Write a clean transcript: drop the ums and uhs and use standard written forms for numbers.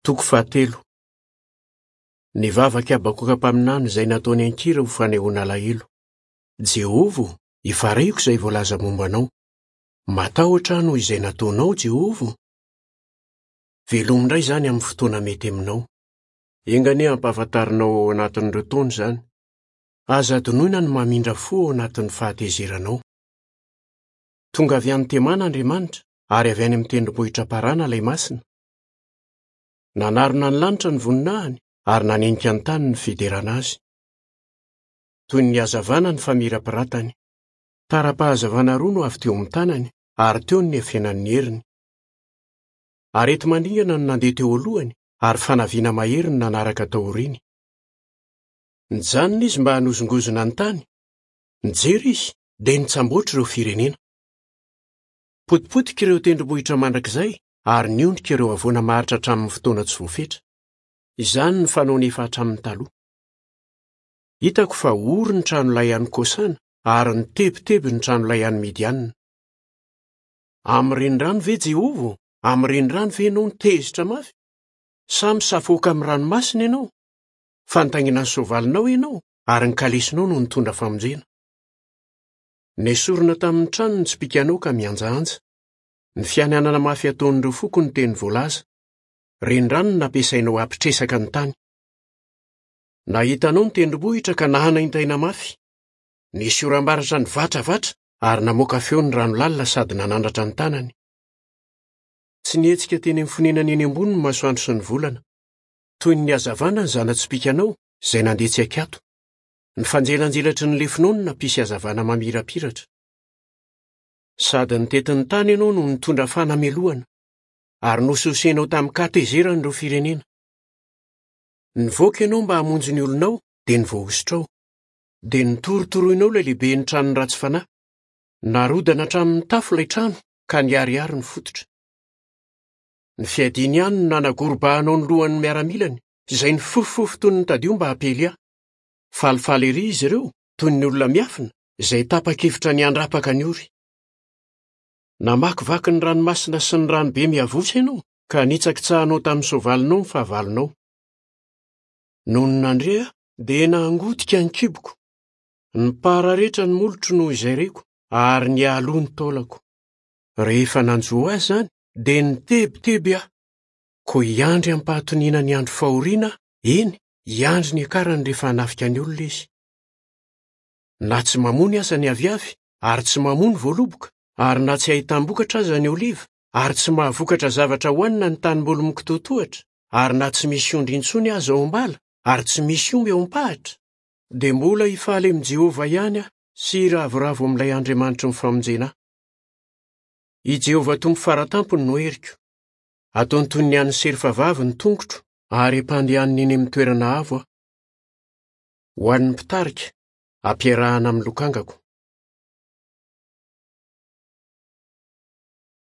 Toko fahatelo. Ny vavak'i Habakoka mpaminany izay nataony an-kira ho fanehoana alahelo. Jehovah ô, efa reko izay voalaza momba anao. Matahotra aho noho izay nataonao, Jehovah ô. Velomy indray izany amin'ny fotoana mety aminao. Enga anie hampahafantarinao ao anatin'ireo taona izany. Aza adinoina ny mamindra fo ao anatin'ny fahatezeranao. Tonga avy any Temana Andriamanitra, ary avy any amin'ny tendrombohitra Parana ilay Masina. Nanarona ny lanitra ny voninahiny, ary nanenika ny tany ny fiderana azy. Toy ny hazavana ny famirapiratany. Tara-pahazavana roa no avy teo amin'ny tanany, ary teo no niafenan'ny heriny. Areti-mandringana no nandeha teo alohany, ary fanaviana mahery no nanaraka taoriany. Nijanona izy mba hanozongozona ny tany. Nijery izy, dia nitsamboatra ireo firenena. Potipotika ireo tendrombohitra mandrakizay ary niondrika ireo havoana maharitra hatramin'ny fotoana tsy voafetra. Izany no fanaony efa hatramin'ny taloha. Hitako fa ory ny tranolay any Kosana ary nitebiteby ny tranolay any Midiana. Amin'ny renirano ve Jehovah ô? Amin'ny renirano ve ianao no tezitra mafy? Sa misafoaka amin'ny ranomasina ianao? Fa nitaingina ny soavalinao ianao ary ny kalesinao no nitondra famonjena. Nesorina tamin'ny trano ny tsipìkanao ka mihanjahanja. Ny fianianana mafy ataon'ireo foko no teny voalaza. Renirano no nampiasainao hampitresaka ny tany. Nahita anao ny tendrombohitra ka nahanaintaina mafy. Nisy oram-baratra nivatravatra ary namoaka feo ny rano lalina sady nanandratra ny tanany. Tsy nihetsika teny amin'ny fonenany eny ambony ny masoandro sy ny volana. Toy ny hazavana ny zana-tsipìkanao izay nandeha tsy an-kiato. Ny fanjelanjelatry ny lefonao no nampisy hazavana mamirapiratra. Sady nitety ny tany ianao no nitondra fanamelohana, ary nososenao tamin-katezerana ireo firenena. Nivoaka ianao mba hamonjy ny olonao, dia ny voahosotrao. Dia notorotoroinao ilay lehiben'ny tranon'ny ratsy fanahy. Narodana hatramin'ny tafo ilay trano, ka niharihary ny fototra. Ny fiadiany ihany no nanagorobahanao ny lohan'ny miaramilany, izay nifofofofo toy ny tadio mba hampiely ahy. Falifaly erỳ izy ireo, toy ny olona miafina, izay tapa-kevitra ny handrapaka ny ory. Namakivaky ny ranomasina sy ny ranobe miavosa ianao, ka nitsakitsahanao tamin'ny soavalinao ny fahavalonao. Nony nandre aho, dia nangotika ny kiboko. Nipararetra ny molotro noho izay reko, ary nialoha ny taolako. Rehefa nanjo ahy izany, dia nitebiteby aho. Koa hiandry amim-pahatoniana ny andro fahoriana aho, eny, hiandry ny hiakarany rehefa hanafika ny olona izy. Na tsy mamony aza ny aviavy, ary tsy mamoa ny voaloboka, ary na tsy ahitam-bokatra aza ny oliva, ary tsy mahavokatra zavatra hohanina ny tanimboly mikitoatohatra, ary na tsy misy ondry intsony aza ao am-bala, ary tsy misy omby ao am-pahatra, dia mbola hifaly amin'i Jehovah ihany aho sy hiravoravo amin'ilay Andriamanitry ny famonjena ahy. I Jehovah Tompo Fara Tampony no heriko. Ataony toy ny an'ny serfa vavy ny tongotro, ary ampandehaniny eny amin'ny toerana avo aho. Ho an'ny mpitarika, ampiarahana amin'ny lokangako.